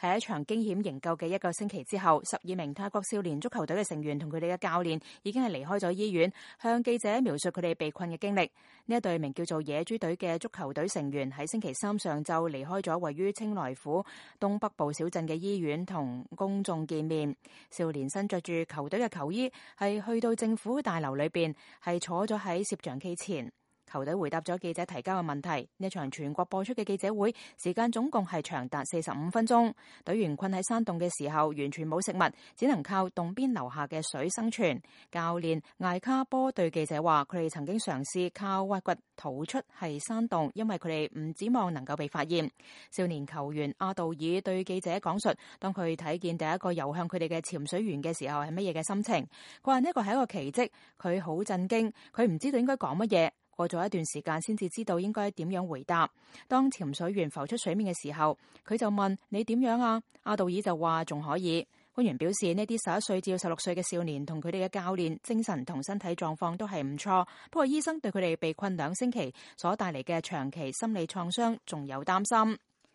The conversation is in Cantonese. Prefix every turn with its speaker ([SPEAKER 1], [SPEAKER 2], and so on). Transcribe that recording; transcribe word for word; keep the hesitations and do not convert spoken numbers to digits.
[SPEAKER 1] 喺一場驚險營救嘅一個星期之後，十二名泰國少年足球隊嘅成員同佢哋嘅教練已經係離開咗醫院，向記者描述佢哋被困嘅經歷。呢一隊名叫做野豬隊嘅足球隊成員喺星期三上晝離開咗位於清萊府東北部小鎮嘅醫院，同公眾見面。少年身着住球隊嘅球衣，係去到政府大樓裏邊，係坐咗喺攝像機前。球隊回答咗記者提交嘅問題。呢場全國播出嘅記者會時間總共係長達四十五分鐘。隊員困喺山洞嘅時候，完全冇食物，只能靠洞邊流下嘅水生存。教練艾卡波對記者話：佢哋曾經嘗試靠挖掘逃出係山洞，因為佢哋唔指望能夠被發現。少年球員阿道爾對記者講述，當佢睇見第一個游向佢哋嘅潛水員嘅時候係乜嘢嘅心情。佢話呢個係一個奇蹟，佢好震驚，佢唔知道應該講乜嘢。過咗一段時間先至知道應該點樣回答。當潛水員浮出水面嘅時候，佢就問：你點樣啊？阿道爾就話仲可以。官員表示，呢啲十一歲至十六歲嘅少年同佢哋嘅教練精神同身體狀況都係唔錯，不過醫生對佢哋被困兩星期所帶嚟嘅長期心理創傷仲有擔心。